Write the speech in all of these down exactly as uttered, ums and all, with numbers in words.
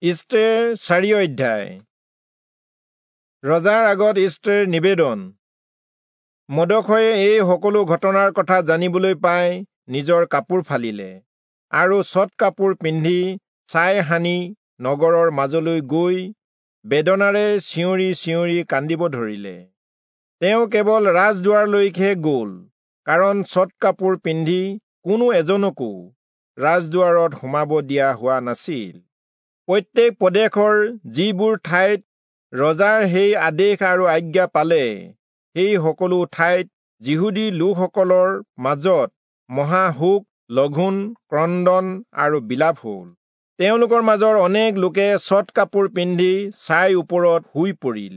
ইষ্টেৰ চাৰি অধ্যায়। ৰজাৰ আগত ইষ্টেৰ নিবেদন। মৰ্দখয়ে এই সকলো ঘটনাৰ কথা জানিবলৈ পাই নিজৰ কাপোৰ ফালিলে আৰু চট কাপোৰ পিন্ধি ছাই সানি নগৰৰ মাজলৈ গৈ বেদনাৰে চিঞৰি চিঞৰি কান্দিব ধৰিলে। তেওঁ কেৱল ৰাজদুৱাৰলৈকে গ'ল, কাৰণ চট কাপোৰ পিন্ধি কোনো এজনকো ৰাজদুৱাৰত সোমাব দিয়া হোৱা নাছিল। প্ৰত্যেক প্ৰদেশৰ যিবোৰ ঠাইত ৰজাৰ সেই আদেশ আৰু আজ্ঞা পালে, সেই সকলো ঠাইত যিহুদী লোকসকলৰ মাজত মহাশোক, লঘোণ, ক্ৰন্দন আৰু বিলাপ হ'ল। তেওঁলোকৰ মাজৰ অনেক লোকে চট কাপোৰ পিন্ধি ছাই ওপৰত শুই পৰিল।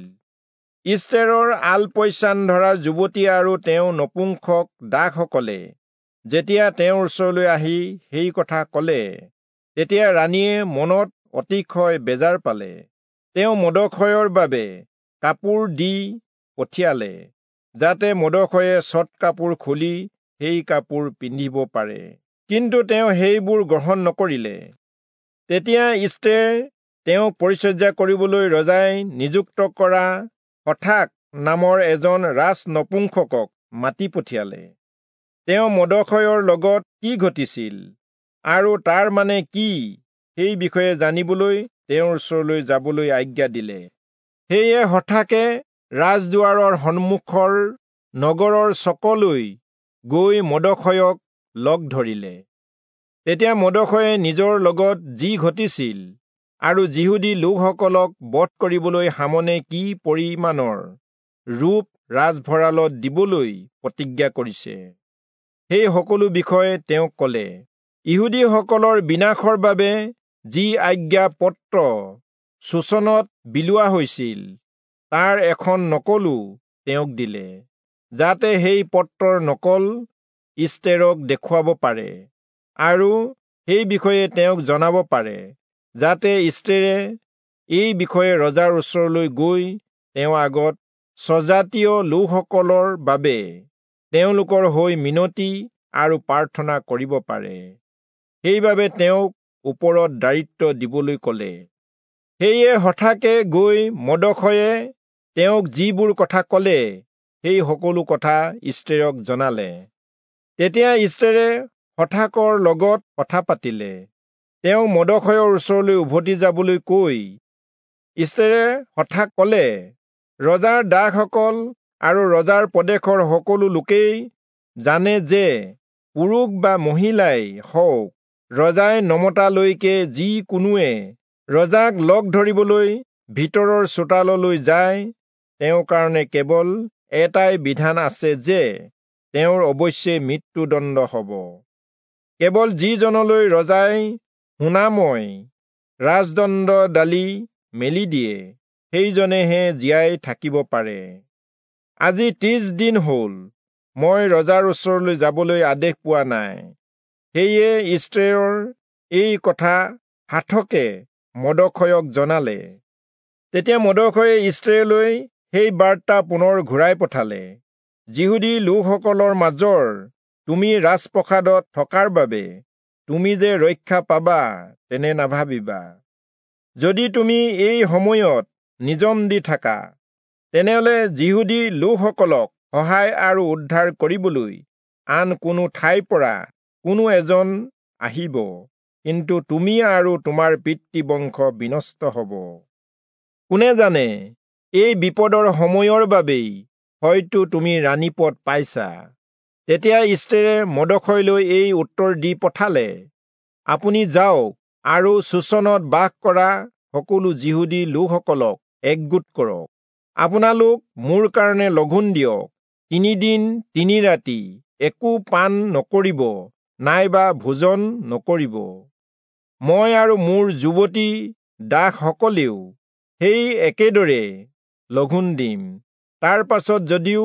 ইষ্টেৰৰ আলপৈচান ধৰা যুৱতী আৰু তেওঁ নপুংসক দাসসকলে যেতিয়া তেওঁৰ ওচৰলৈ আহি সেই কথা ক'লে, তেতিয়া ৰাণীয়ে মনত অতিশয় বেজাৰ পালে। তেওঁ মৰ্দখয়ৰ বাবে কাপোৰ দি পঠিয়ালে, যাতে মৰ্দখয়ে চট কাপোৰ খুলি সেই কাপোৰ পিন্ধিব পাৰে। কিন্তু তেওঁ সেইবোৰ গ্ৰহণ নকৰিলে। তেতিয়া ইষ্টেৰ তেওঁক পৰিচৰ্যা কৰিবলৈ ৰজাই নিযুক্ত কৰা হথাক নামৰ এজন ৰাজ নপুংসকক মাতি পঠিয়ালে। তেওঁ মৰ্দখয়ৰ লগত কি ঘটিছিল আৰু তাৰ মানে কি সেই বিষয়ে জানিবলৈ তেওঁৰ ওচৰলৈ যাবলৈ আজ্ঞা দিলে। সেয়ে হঠাকে ৰাজদুৱাৰৰ সন্মুখৰ নগৰৰ চকলৈ গৈ মৰ্দখয়ক লগ ধৰিলে। তেতিয়া মৰ্দখয়ে নিজৰ লগত যি ঘটিছিল আৰু যিহুদী লোকসকলক বধ কৰিবলৈ হামনে কি পৰিমাণৰ ৰূপ ৰাজভঁৰালত দিবলৈ প্ৰতিজ্ঞা কৰিছে, সেই সকলো বিষয়ে তেওঁক ক'লে। ইহুদীসকলৰ বিনাশৰ বাবে যি আজ্ঞা পত্ৰ চূচনত বিলোৱা হৈছিল, তাৰ এখন নকলো তেওঁক দিলে, যাতে সেই পত্ৰৰ নকল ইষ্টেৰক দেখুৱাব পাৰে আৰু সেই বিষয়ে তেওঁক জনাব পাৰে, যাতে ইষ্টেৰে এই বিষয়ে ৰজাৰ ওচৰলৈ গৈ তেওঁৰ আগত স্বজাতীয় লোকসকলৰ বাবে তেওঁলোকৰ হৈ মিনতি আৰু প্ৰাৰ্থনা কৰিব পাৰে। সেইবাবে তেওঁক ওপৰত দায়িত্ব দিবলৈ ক'লে। সেয়ে হঠাকে গৈ মৰ্দখয়ে তেওঁক যিবোৰ কথা ক'লে, সেই সকলো কথা ইষ্টেৰক জনালে। তেতিয়া ইষ্টেৰে হঠাকৰ লগত কথা পাতিলে। তেওঁ মৰ্দখয়ৰ ওচৰলৈ উভতি যাবলৈ কৈ ইষ্টেৰে হঠাক ক'লে, ৰজাৰ দাসসকল আৰু ৰজাৰ প্ৰদেশৰ সকলো লোকেই জানে যে পুৰুষ বা মহিলাই হওক, ৰজাই নমতালৈকে যি কোনোৱে ৰজাক লগ ধৰিবলৈ ভিতৰৰ চোতাললৈ যায়, তেওঁৰ কাৰণে কেৱল এটাই বিধান আছে যে তেওঁৰ অৱশ্যে মৃত্যুদণ্ড হ'ব। কেৱল যিজনলৈ ৰজাই শুনাময় ৰাজদণ্ড ডালি মেলি দিয়ে, সেইজনেহে জীয়াই থাকিব পাৰে। আজি ত্ৰিশ দিন হ'ল, মই ৰজাৰ ওচৰলৈ যাবলৈ আদেশ পোৱা নাই। সেয়ে ইষ্টেৰৰ এই কথা হাথকে মৰ্দখয়ক জনালে। তেতিয়া মৰ্দখয়ে ইষ্টেৰলৈ সেই বাৰ্তা পুনৰ ঘূৰাই পঠালে, যিহুদী লোকসকলৰ মাজৰ তুমি ৰাজপ্ৰসাদত থকাৰ বাবে তুমি যে ৰক্ষা পাবা তেনে নাভাবিবা। যদি তুমি এই সময়ত নিজম দি থাকা, তেনেহ'লে যিহুদী লোকসকলক সহায় আৰু উদ্ধাৰ কৰিবলৈ আন কোনো ঠাইৰ পৰা কোনো এজন আহিব, কিন্তু তুমি আৰু তোমাৰ পিতৃবংশ বিনষ্ট হ'ব। কোনে জানে, এই বিপদৰ সময়ৰ বাবেই হয়তো তুমি ৰাণীপদ পাইছা। তেতিয়া ইষ্টেৰে মৰ্দখয়লৈ এই উত্তৰ দি পঠালে, আপুনি যাওক আৰু চূচনত বাস কৰা সকলো যিহুদী লোকসকলক একগোট কৰক। আপোনালোক মোৰ কাৰণে লঘোণ দিয়ক, তিনিদিন তিনি ৰাতি একো পান নকৰিব নাইবা ভোজন নকৰিব। মই আৰু মোৰ যুৱতী দাসসকলেও সেই একেদৰে লঘোণ দিম। তাৰ পাছত যদিও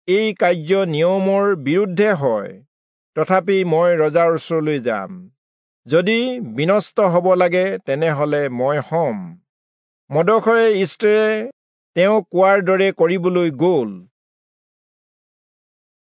এই কাৰ্য নিয়মৰ বিৰুদ্ধে হয়, তথাপি মই ৰজাৰ ওচৰলৈ যাম। যদি বিনষ্ট হ'ব লাগে, তেনেহ'লে মই হ'ম। মৰ্দখয়ে ইষ্টেৰে তেওঁ কোৱাৰ দৰে কৰিবলৈ গ'ল।